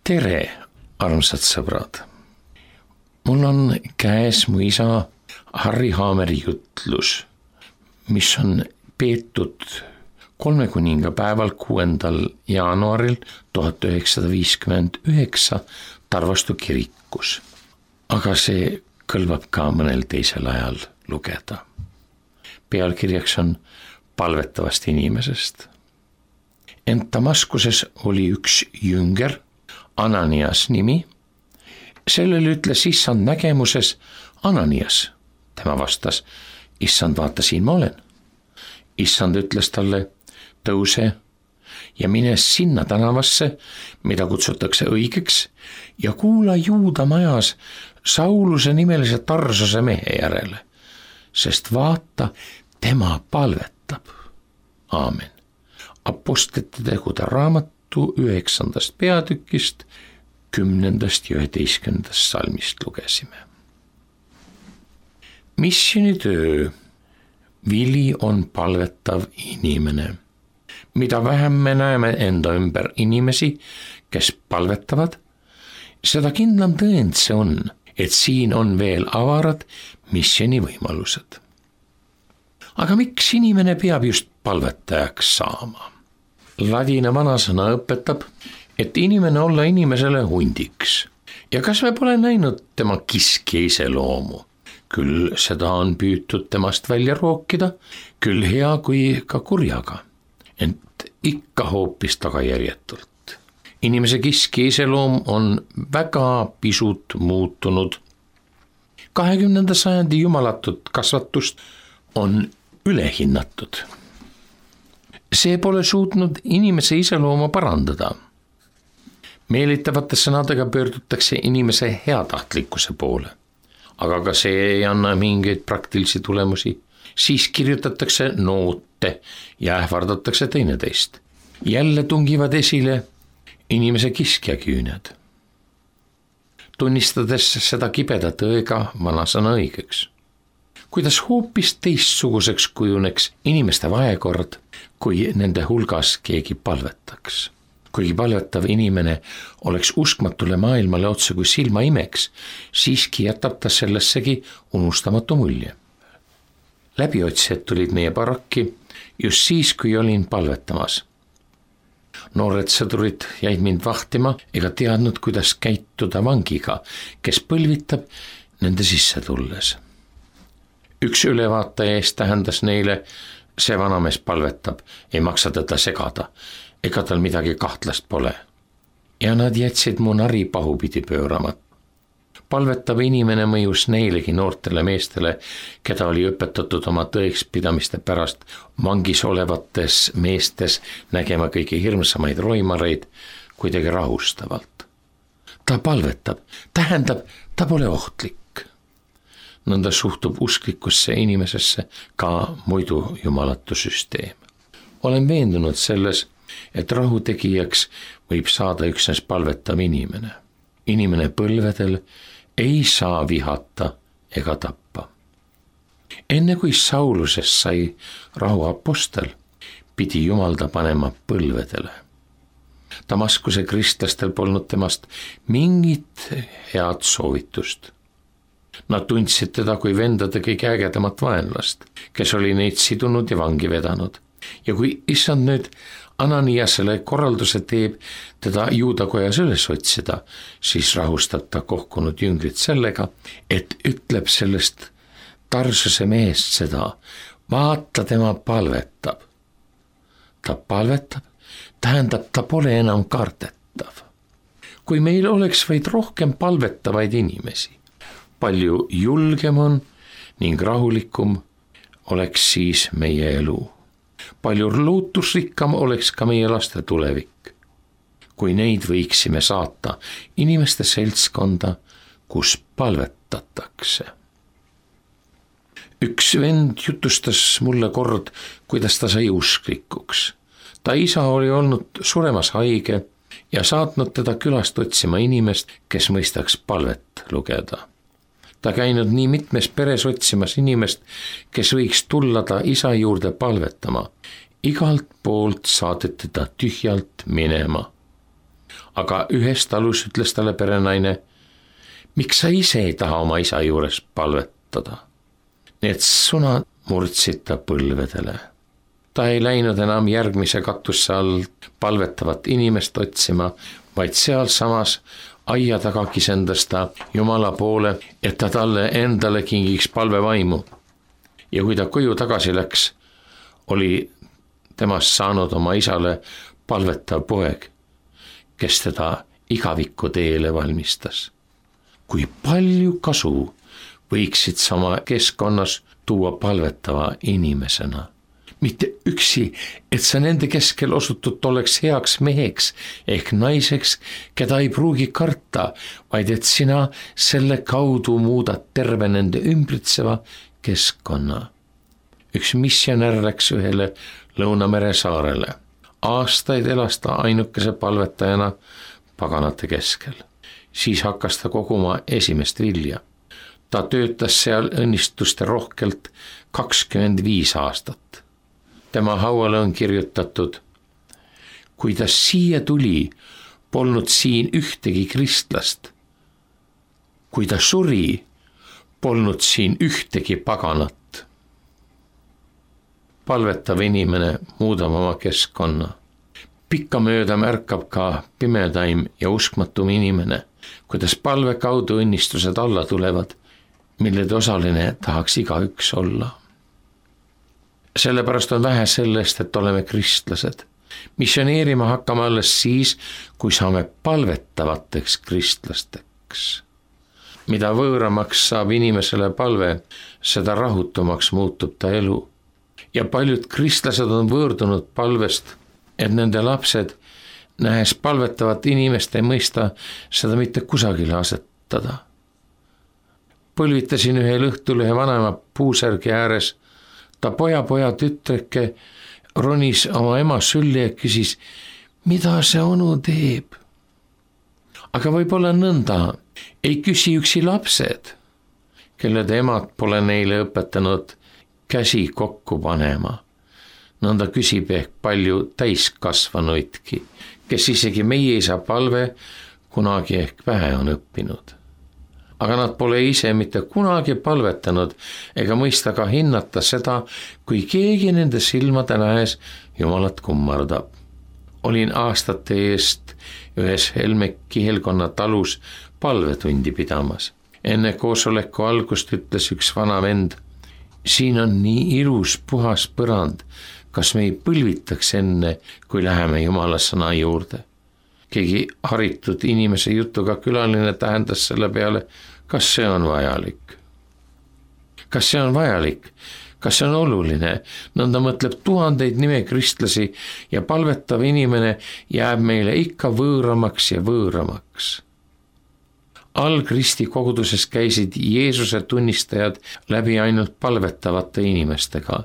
tere, armsad sõbrad! Mul on käes mu isa Harri Haameri jutlus, mis on peetud 3 kuningapäeval 6. jaanuaril 1959 Tarvastu kirikus. Aga see kõlbab ka mõnel teisel ajal lugeda. Pealkirjaks on palvetavast inimesest. Ent Damaskuses oli üks jünger, Ananias nimi. Sellele ütles issand nägemuses: Ananias. Tema vastas: issand, vaata, siin ma olen. Issand ütles talle: tõuse ja mine sinna tänavasse, mida kutsutakse õigeks, ja kuula Juuda majas Sauluse nimelise Tarsuse mehe järele, sest vaata, tema palvetab. Aamen. Apostlite tegude raamatu 9. peatükist 10. ja 11. salmist lugesime. Missionitöö. Vili on palvetav inimene. Mida vähem me näeme enda ümber inimesi, kes palvetavad, seda kindlam tõend see on, et siin on veel avarad missionivõimalused. Aga miks inimene peab just palvetajaks saama? Ladina vanasõna õpetab, et inimene olla inimesele hundiks. Ja kas me pole näinud tema kiskja iseloomu? Küll seda on püütud temast välja rookida, küll hea kui ka kurjaga, ent ikka hoopis tagajärjetult. Inimese kiskja iseloom on väga pisut muutunud. 20. sajandi jumalatut kasvatust on ülehinnatud. See pole suutnud inimese iseloomu parandada. Meelitavate sõnadega pöördutakse inimese heatahtlikkuse poole, aga ka see ei anna mingeid praktilisi tulemusi. Siis kirjutatakse noote ja ähvardatakse teineteist. Jälle tungivad esile inimese kiskjaküüned. Tunnistades seda kibeda tõega vanasõna õigeks. Kuidas hoopis teistsuguseks kujuneks inimeste vahekord, kui nende hulgas keegi palvetaks. Kuigi palvetav inimene oleks uskmatule maailmale otse kui silma imeks, siiski jätab ta sellessegi unustamatu mulje. Läbiotsijad tulid meie barakki just siis, kui olin palvetamas. Noored sõdurid jäid mind vahtima ega teadnud, kuidas käituda vangiga, kes põlvitab nende sisse tulles. Üks ülevaataja eest tähendas neile: see vanamees palvetab, ei maksa teda segada, ega tal midagi kahtlast pole. Ja nad jätsid mu nari pahupidi pöörama. Palvetav inimene mõjus neilegi noortele meestele, keda oli õpetatud oma tõekspidamiste pärast vangis olevates meestes nägema kõige hirmsamaid roimareid kuidagi rahustavalt. Ta palvetab, tähendab, ta pole ohtlik. Nõnda suhtub usklikusse inimesesse ka muidu jumalatu süsteem. Olen veendunud selles, et rahutegijaks võib saada üksnes palvetav inimene. Inimene põlvedel ei saa vihata ega tappa. Enne kui Saulusest sai rahu apostel, pidi Jumal ta panema põlvedele. Damaskuse kristlastel polnud temast mingit head soovitust. Nad tundsid teda kui vendade kõige ägedamat vaenlast, kes oli neid sidunud ja vangi vedanud. Ja kui issand nüüd Ananiasele korralduse teeb teda juudakojas üles otsida, siis rahustab ta kohkunud jüngrid sellega, et ütleb sellest Tarsuse mehest seda: vaata, tema palvetab. Ta palvetab, tähendab, ta pole enam kardetav. Kui meil oleks vaid rohkem palvetavaid inimesi, palju julgem on ning rahulikum oleks siis meie elu. Palju lootusrikkam oleks ka meie laste tulevik, kui neid võiksime saata inimeste seltskonda, kus palvetatakse. Üks vend jutustas mulle kord, kuidas ta sai usklikuks. Ta isa oli olnud suremas haige ja saatnud teda külast otsima inimest, kes mõistaks palvet lugeda. Ta käinud nii mitmes peres otsimas inimest, kes võiks tulla ta isa juurde palvetama. Igalt poolt saadeti ta tühjalt minema. aga ühes talus ütles talle perenaine: miks sa ise ei taha oma isa juures palvetada? Need sõnad murdsid ta põlvedele. Ta ei läinud enam järgmise katusse all palvetavat inimest otsima, vaid sealsamas aia taga kisendas ta Jumala poole, et ta talle endale kingiks palvevaimu. Ja kui ta koju tagasi läks, oli temast saanud oma isale palvetav poeg, kes teda igaviku teele valmistas. Kui palju kasu võiksid sama keskkonnas tuua palvetava inimesena. Mitte üksi, et sa nende keskel osutud oleks heaks meheks ehk naiseks, keda ei pruugi karta, vaid et sina selle kaudu muudad terve nende ümbritseva keskkonna. Üks missionär läks ühele Lõunamere saarele. Aastaid elas ta ainukese palvetajana paganate keskel. Siis hakkas ta koguma esimest vilja. Ta töötas seal õnnistuste rohkelt 25 aastat. Tema hauale on kirjutatud: kui ta siia tuli, polnud siin ühtegi kristlast. Kui ta suri, polnud siin ühtegi paganat. Palvetav inimene muudab oma keskkonna. Pikkamööda märkab ka pimedaim ja uskmatum inimene, kuidas palve kaudu õnnistused alla tulevad, millede osaline tahaks igaüks olla. Sellepärast on vähe sellest, et oleme kristlased. Missioneerima hakkame alles siis, kui saame palvetavateks kristlasteks. Mida võõramaks saab inimesele palve, seda rahutumaks muutub ta elu. Ja paljud kristlased on võõrdunud palvest, et nende lapsed, nähes palvetavat inimest, ei mõista seda mitte kusagile asetada. Põlvitasin ühel õhtul ühe vanema puusärgi ääres. Ta poja tütreke ronis oma ema sülli ja küsis, mida see onu teeb. Aga võib-olla nõnda ei küsi üksi lapsed, kelle emad pole neile õpetanud käsi kokku panema. Nõnda küsib ehk palju täiskasvanuidki, kes isegi meie isa palve kunagi ehk vähe on õppinud. Aga nad pole ise mitte kunagi palvetanud ega mõista ka hinnata seda, kui keegi nende silmade nähes Jumalat kummardab. Olin aastate eest ühes Helme kihelkonna talus palvetundi pidamas. Enne koosoleku algust ütles üks vana vend: siin on nii ilus puhas põrand, kas me ei põlvitaks enne, kui läheme Jumala sõna juurde? Keegi haritud inimese jutuga külaline tähendas selle peale: kas see on vajalik? Kas see on vajalik? Kas see on oluline? Nõnda mõtleb tuhandeid nimekristlasi ja palvetav inimene jääb meile ikka võõramaks ja võõramaks. Algristi koguduses käisid Jeesuse tunnistajad läbi ainult palvetavate inimestega.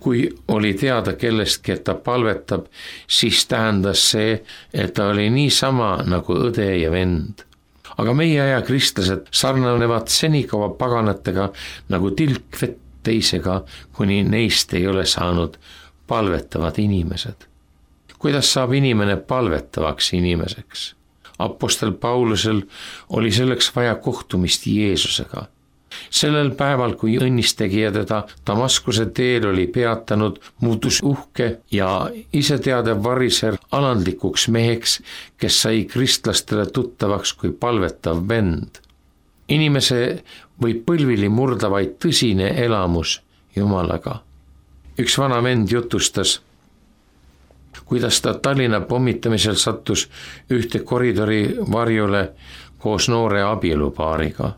Kui oli teada kellestki, et ta palvetab, siis tähendas see, et ta oli niisama nagu õde ja vend. Aga meie aja kristlased sarnanevad senikaua paganatega nagu tilk vett teisega, kuni neist ei ole saanud palvetavad inimesed. Kuidas saab inimene palvetavaks inimeseks? Apostel Paulusel oli selleks vaja kohtumist Jeesusega. Sellel päeval, kui õnnistegija teda Damaskuse teel oli peatanud, muutus uhke ja iseteadev variser alandlikuks meheks, kes sai kristlastele tuttavaks kui palvetav vend. Inimese võib põlvili murda vaid tõsine elamus Jumalaga. Üks vana vend jutustas, kuidas ta Tallinna pommitamisel sattus ühte koridori varjule koos noore abielupaariga.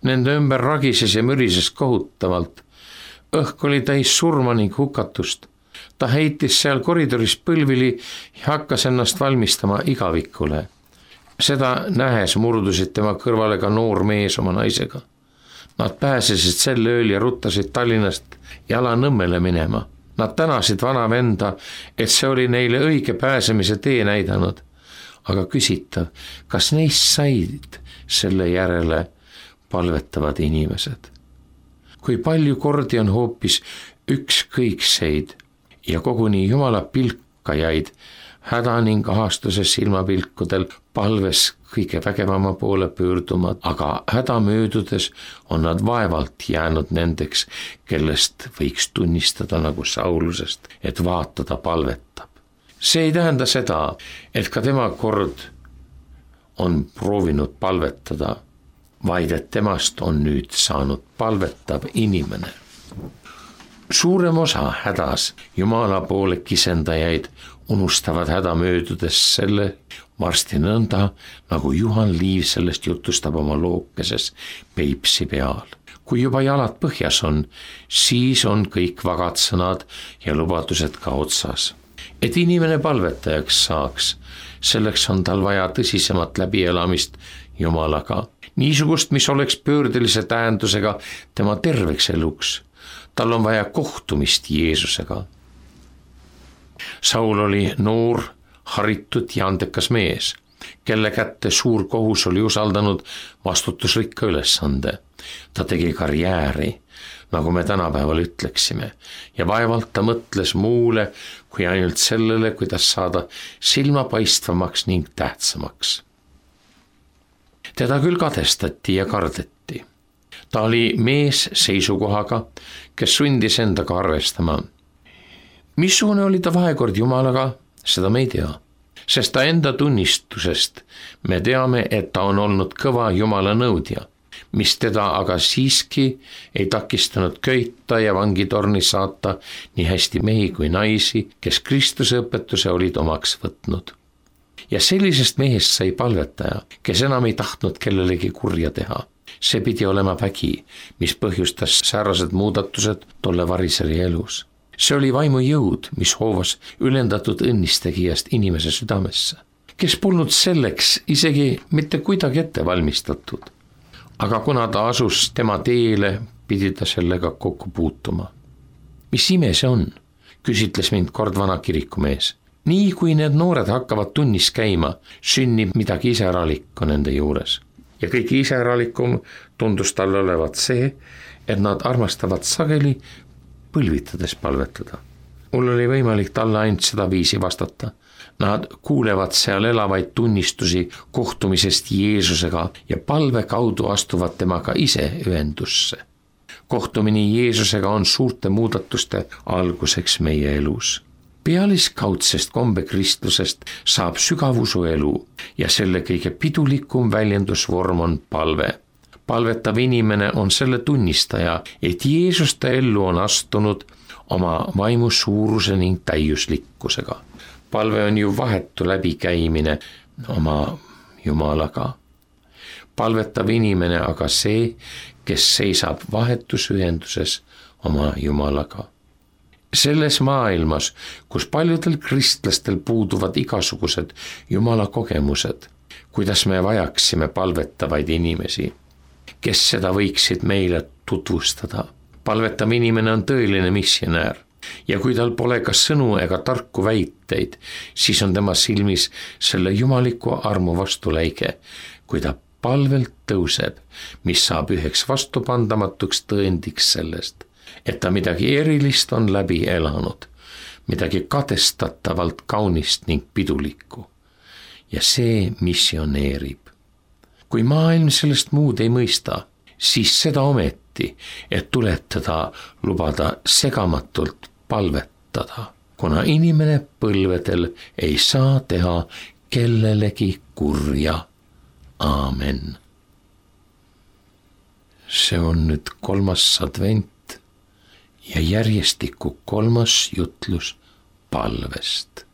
Nende ümber ragises ja mürises kohutavalt. Õhk oli täis surma ning hukatust. Ta heitis seal koridoris põlvili ja hakkas ennast valmistama igavikule. Seda nähes murdusid tema kõrvale ka noor mees oma naisega. Nad pääsesid sel ööl ja ruttasid Tallinnast jala Nõmmele minema. Nad tänasid vana venda, et see oli neile õige pääsemise tee näidanud. Aga küsitav, kas neist said selle järele palvetavad inimesed? Kui palju kordi on hoopis ükskõikseid ja koguni Jumala pilkajaid häda ning ahastuse silmapilkudel palves kõige vägevama poole pöörduma, aga häda möödudes on nad vaevalt jäänud nendeks, kellest võiks tunnistada nagu Saulusest, et vaata, ta palvetab. See ei tähenda seda, et ka tema kord on proovinud palvetada, vaid et temast on nüüd saanud palvetav inimene. Suurem osa hädas Jumala poole kisendajaid unustavad häda möödudes selle varsti nõnda, nagu Juhan Liiv sellest jutustab oma lookeses Peipsi peal. Kui juba jalad põhjas on, siis on kõik vagad sõnad ja lubadused ka otsas. Et inimene palvetajaks saaks, selleks on tal vaja tõsisemat läbielamist Jumalaga. Niisugust, mis oleks pöördelise tähendusega tema terveks eluks. Tal on vaja kohtumist Jeesusega. Saul oli noor, haritud ja andekas mees, kelle kätte suur kohus oli usaldanud vastutusrikka ülesande. Ta tegi karjääri, nagu me tänapäeval ütleksime, ja vaevalt ta mõtles muule kui ainult sellele, kuidas saada silmapaistvamaks ning tähtsamaks. Teda küll kadestati ja kardeti. Ta oli mees seisukohaga, kes sundis endaga arvestama. Missugune oli ta vahekord Jumalaga, seda me ei tea, sest ta enda tunnistusest me teame, et ta on olnud kõva Jumala nõudja, mis teda aga siiski ei takistanud köita ja vangitorni saata nii hästi mehi kui naisi, kes Kristuse õpetuse olid omaks võtnud. Ja sellisest mehest sai palvetaja, kes enam ei tahtnud kellelegi kurja teha. See pidi olema vägi, mis põhjustas säärased muudatused tolle variseri elus. See oli vaimu jõud, mis hoovas ülendatud õnnistegijast inimese südamesse, kes polnud selleks isegi mitte kuidagi ette valmistatud. Aga kuna ta asus tema teele, pidi ta sellega kokku puutuma. Mis ime see on? Küsitles mind kord vana kirikumees. Nii kui need noored hakkavad tunnis käima, sünnib midagi iseäralikku nende juures. Ja kõik iseäralikum tundus talle olevat see, et nad armastavad sageli põlvitades palvetada. Mul oli võimalik talle ainult seda viisi vastata. Nad kuulevad seal elavaid tunnistusi kohtumisest Jeesusega ja palve kaudu astuvad temaga ise ühendusse. Kohtumine Jeesusega on suurte muudatuste alguseks meie elus. Pealiskaudsest kombekristlusest saab sügavusuelu ja selle kõige pidulikum väljendusvorm on palve. Palvetav inimene on selle tunnistaja, et Jeesus ta ellu on astunud oma vaimu suuruse ning täiuslikkusega. Palve on ju vahetu läbikäimine oma Jumalaga. Palvetav inimene aga see, kes seisab vahetus ühenduses oma Jumalaga. Selles maailmas, kus paljudel kristlastel puuduvad igasugused Jumala kogemused, kuidas me vajaksime palvetavaid inimesi, kes seda võiksid meile tutvustada. Palvetav inimene on tõeline missionäär ja kui tal pole ka sõnu ega tarku väiteid, siis on tema silmis selle jumaliku armu vastuläige, kui ta palvelt tõuseb, mis saab üheks vastupandamatuks tõendiks sellest, et ta midagi erilist on läbi elanud, midagi kadestatavalt kaunist ning pidulikku. Ja see missioneerib. Kui maailm sellest muud ei mõista, siis seda ometi, et tuletada lubada segamatult palvetada, kuna inimene põlvedel ei saa teha kellelegi kurja. Aamen. See on nüüd 3. advent ja järjestikku 3. jutlus palvest.